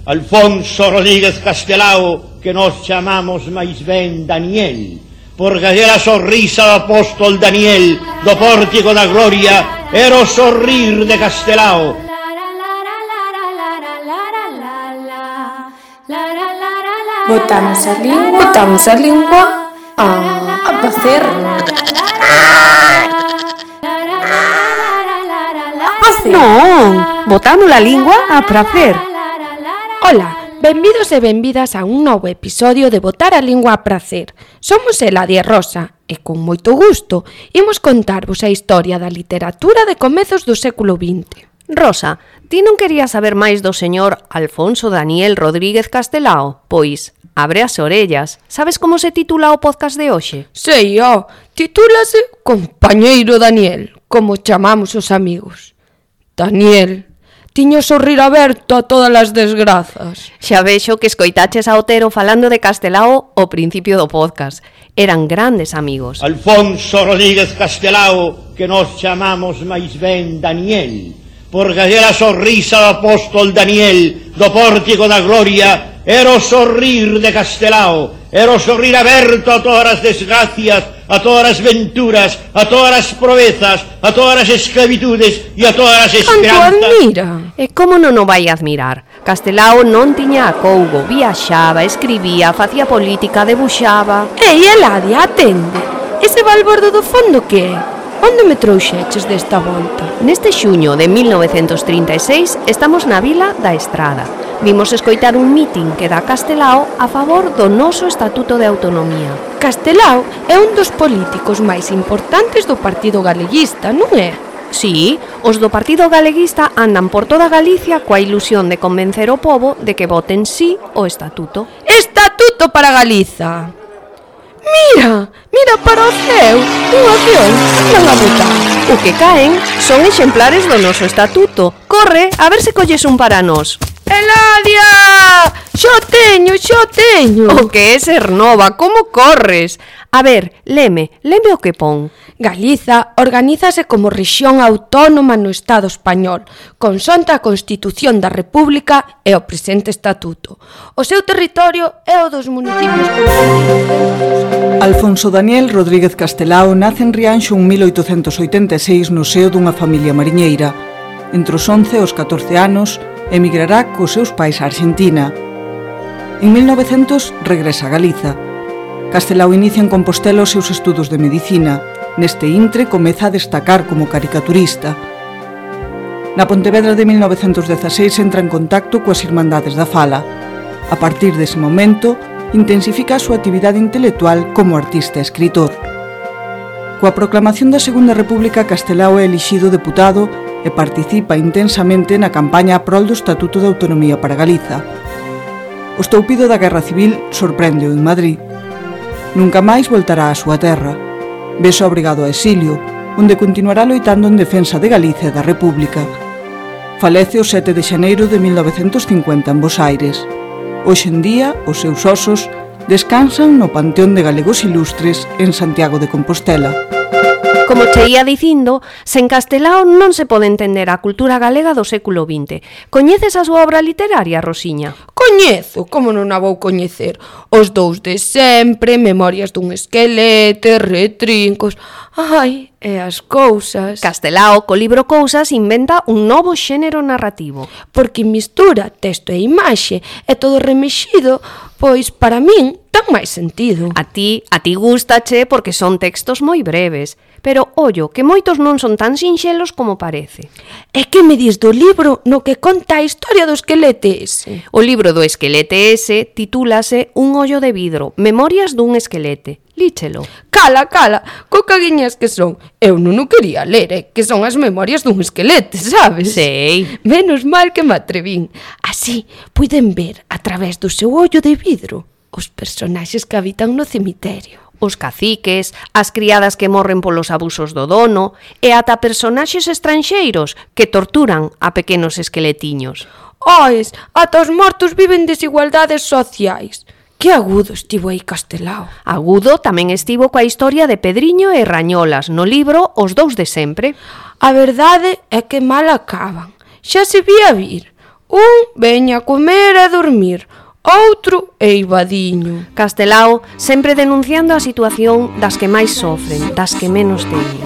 Alfonso Rodríguez Castelao, que nos chamamos máis ben Daniel, porque aquela sorrisa do apóstol Daniel do pórtico da gloria era o sorrir de Castelao. Botamos a lingua a facer. Non, botamos a lingua a pracer. Ola, benvidos e benvidas a un novo episodio de Botar a Lingua a Pracer. Somos Eladia e Rosa e con moito gusto imos contarvos a historia da literatura de comezos do século XX. Rosa, ti non querías saber máis do señor Alfonso Daniel Rodríguez Castelao? Pois, abre as orellas. Sabes como se titula o podcast de hoxe? Sei, titúlase Compañeiro Daniel, como chamamos os amigos. Daniel, tiño o sorrir aberto a todas as desgrazas. Xa vexo que escoitaches a Otero falando de Castelao ao principio do podcast. Eran grandes amigos. Alfonso Rodríguez Castelao, que nos chamamos máis ben Daniel, porque aquela sorrisa do apóstol Daniel do pórtico da gloria era o sorrir de Castelao, era o sorrir aberto a todas as desgracias, a todas as venturas, a todas as proezas, a todas as esclavitudes e a todas as esperanzas. Canto admira! E como non o vai admirar? Castelao non tiña acougo, viaxaba, escribía, facía política, debuxaba. Ei, Eladia, atende! Ese balbordo do fondo que é? Onde me trouxeches desta volta? Neste xuño de 1936 estamos na Vila da Estrada. Vimos escoitar un mitin que dá Castelao a favor do noso Estatuto de Autonomía. Castelao é un dos políticos máis importantes do Partido Galeguista, non é? Sí, os do Partido Galeguista andan por toda Galicia coa ilusión de convencer o pobo de que voten sí o Estatuto. Estatuto para Galiza! Mira para o ceo, un avión, andan a botar. O que caen son exemplares do noso Estatuto. Corre, a ver se colles un para nós. Eladia! Xo teño! O que é ser nova, como corres? A ver, leme o que pon. Galiza organízase como rexión autónoma no Estado español, consonte a Constitución da República e o presente Estatuto. O seu territorio é o dos municipios constituídos. Alfonso Daniel Rodríguez Castelao nace en Rianxo en 1886 no seo dunha familia mariñeira. Entre os 11 e os 14 anos, emigrará cos seus pais a Argentina. En 1900 regresa a Galiza. Castelao inicia en Compostela os seus estudos de medicina. Neste intre comeza a destacar como caricaturista. Na Pontevedra de 1916 entra en contacto coas Irmandades da Fala. A partir dese momento, intensifica a súa actividade intelectual como artista e escritor. Coa proclamación da Segunda República, Castelao é elixido deputado e participa intensamente na campaña a prol do Estatuto de Autonomía para Galiza. O estoupido da Guerra Civil sorprende-o en Madrid. Nunca máis voltará á súa terra. Vese obrigado a exilio, onde continuará loitando en defensa de Galicia e da República. Falece o 7 de xaneiro de 1950 en Bos Aires. Hoxe en día, os seus osos descansan no Panteón de Galegos Ilustres en Santiago de Compostela. Como che ia dicindo, sen Castelao non se pode entender a cultura galega do século XX. Coñeces a súa obra literaria, Rosiña? Coñezo, como non a vou coñecer? Os dous de sempre, Memorias dun esquelete, Retrincos... Ai, e as cousas... Castelao, co libro Cousas, inventa un novo xénero narrativo. Porque mistura texto e imaxe e todo remexido, pois para min ten máis sentido. A ti gústache porque son textos moi breves. Pero, ollo, que moitos non son tan sinxelos como parece. E que me dis do libro no que conta a historia do esquelete ese? O libro do esquelete ese titúlase Un ollo de vidro, Memorias dun esquelete. Líchelo. Cala, co caguiñas que son. Eu non o quería ler, que son as memorias dun esquelete, sabes? Sei. Menos mal que me atrevín. Así, puiden ver, a través do seu ollo de vidro, os personaxes que habitan no cemiterio. Os caciques, as criadas que morren polos abusos do dono e ata personaxes estranxeiros que torturan a pequenos esqueletiños. Ois, ata os mortos viven desigualdades sociais. Que agudo estivo aí Castelao. Agudo tamén estivo coa historia de Pedriño e Rañolas no libro Os dous de sempre. A verdade é que mal acaban. Xa se vía vir. Un veña a comer e dormir, outro eivadiño. Castelao sempre denunciando a situación das que máis sofren, das que menos teñen.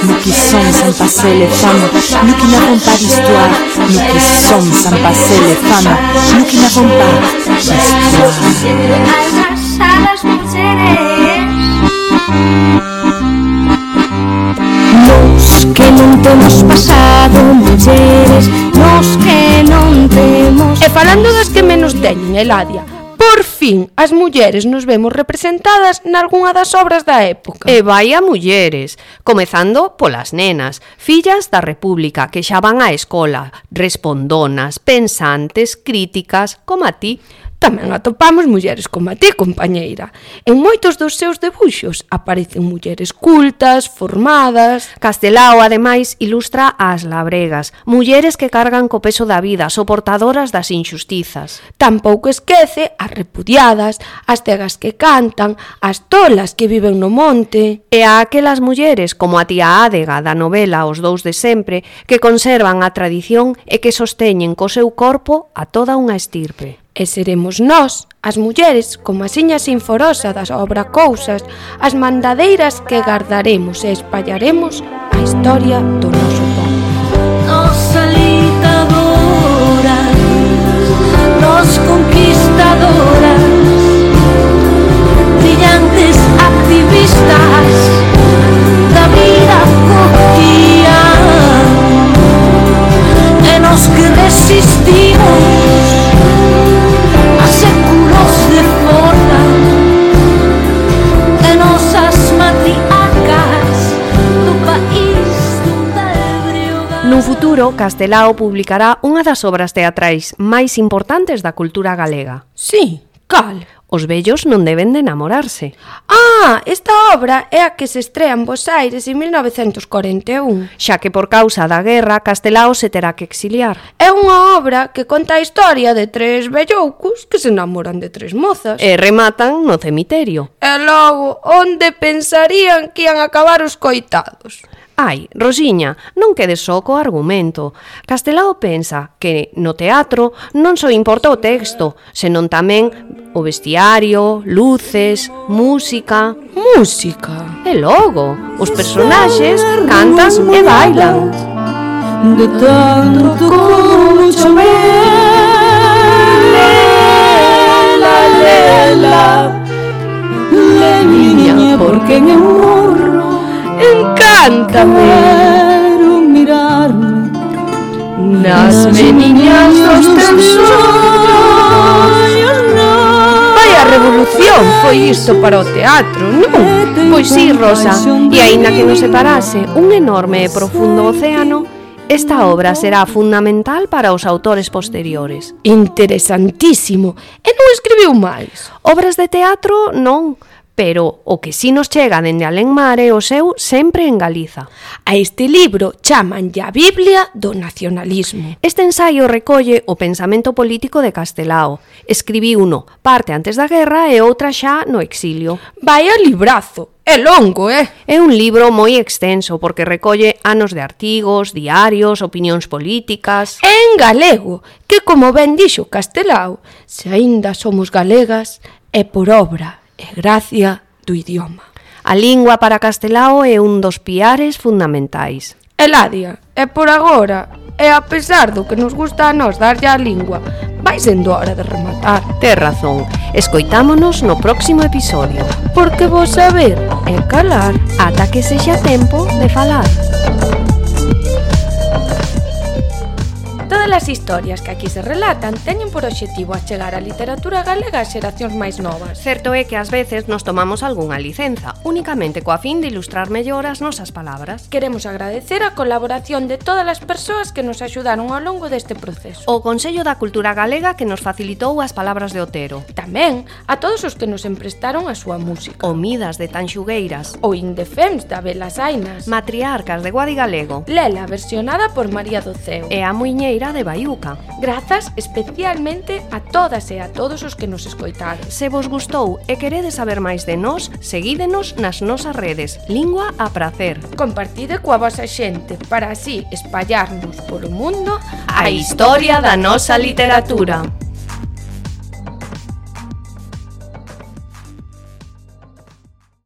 Nous qui sommes sans passer les femmes, nous qui n'avons pas d'histoire. Nous qui sommes sans passer les femmes, nous qui n'avons pas d'histoire. Nos que non temos pasado, mulleres, nos que non temos... E falando das que menos teñen, Eladia, por fin as mulleres nos vemos representadas nalgunha das obras da época. E vai a mulleres, comezando polas nenas, fillas da República que xa van á escola, respondonas, pensantes, críticas, como a ti. Tamén atopamos mulleres como a ti, compañeira. En moitos dos seus debuxos aparecen mulleres cultas, formadas... Castelao, ademais, ilustra as labregas, mulleres que cargan co peso da vida, soportadoras das inxustizas. Tampouco esquece as repudiadas, as cegas que cantan, as tolas que viven no monte... E a aquelas mulleres, como a tía Ádega da novela Os dous de sempre, que conservan a tradición e que sosteñen co seu corpo a toda unha estirpe. E seremos nós, as mulleres, como a siña sinforosa das obra Cousas, as mandadeiras que gardaremos e espallaremos a historia do noso povo. Nos alitadoras, nos conquistadoras, brillantes activistas da vida cotidiana, e nos que resistimos a séculos de forma, e nosas matriarcas do país da ebriodade. Nun futuro, Castelao publicará unha das obras teatrais máis importantes da cultura galega. Sí, cal? Os vellos non deben de enamorarse. Ah, esta obra é a que se estrea en Bos Aires en 1941. Xa que por causa da guerra, Castelao se terá que exiliar. É unha obra que conta a historia de tres velloucos que se enamoran de tres mozas. E rematan no cemiterio. E logo, onde pensarían que ian acabar os coitados? Ai, Rosiña, non quedes só co argumento. Castelao pensa que no teatro non só importa o texto, senón tamén o vestiario, luces, música. Música? E logo, os personaxes cantan e bailan. De tanto como chover, lela, lela, niña, porque en el morro encántame. quero mirarme Nas meniñas dos teus ollos. Vaya revolución foi isto para o teatro, non? Pois sí, Rosa, e aínda que nos separase un enorme e profundo océano, esta obra será fundamental para os autores posteriores. Interesantísimo. E non escribiu máis? Obras de teatro non, pero o que si nos chega dende alén mar é o seu sempre en Galiza. A este libro chamanlle a Biblia do nacionalismo. Este ensaio recolle o pensamento político de Castelao. Escribiuno parte antes da guerra e outra xa no exilio. Vaya librazo, é longo, É un libro moi extenso porque recolle anos de artigos, diarios, opinións políticas. En galego, que como ben dixo Castelao, se aínda somos galegas, é por obra e gracia do idioma. A lingua para Castelao é un dos piares fundamentais. Eladia, e por agora, e a pesar do que nos gusta a nós darlle a lingua, vai sendo hora de rematar. Tes razón, escoitámonos no próximo episodio. Porque vos saber é calar Ata que sexa tempo de falar. Todas as historias que aquí se relatan teñen por obxectivo achegar a literatura galega ás xeracións máis novas. Certo é que ás veces nos tomamos algunha licenza, únicamente coa fin de ilustrar mellor as nosas palabras. Queremos agradecer a colaboración de todas as persoas que nos axudaron ao longo deste proceso. O Consello da Cultura Galega que nos facilitou as palabras de Otero. Tamén a todos os que nos emprestaron a súa música. O Midas de Tanxugueiras. O Indefens da Belas Ainas. Matriarcas de Guadigalego. Lela versionada por María do Ceo. E a Muiñeira de Baiú. Mariuca. Grazas especialmente a todas e a todos os que nos escoitaron. Se vos gustou e queredes saber máis de nós, seguídenos nas nosas redes Lingua a Pracer. Compartide coa vosa xente para así espallarnos polo mundo a historia da nosa literatura.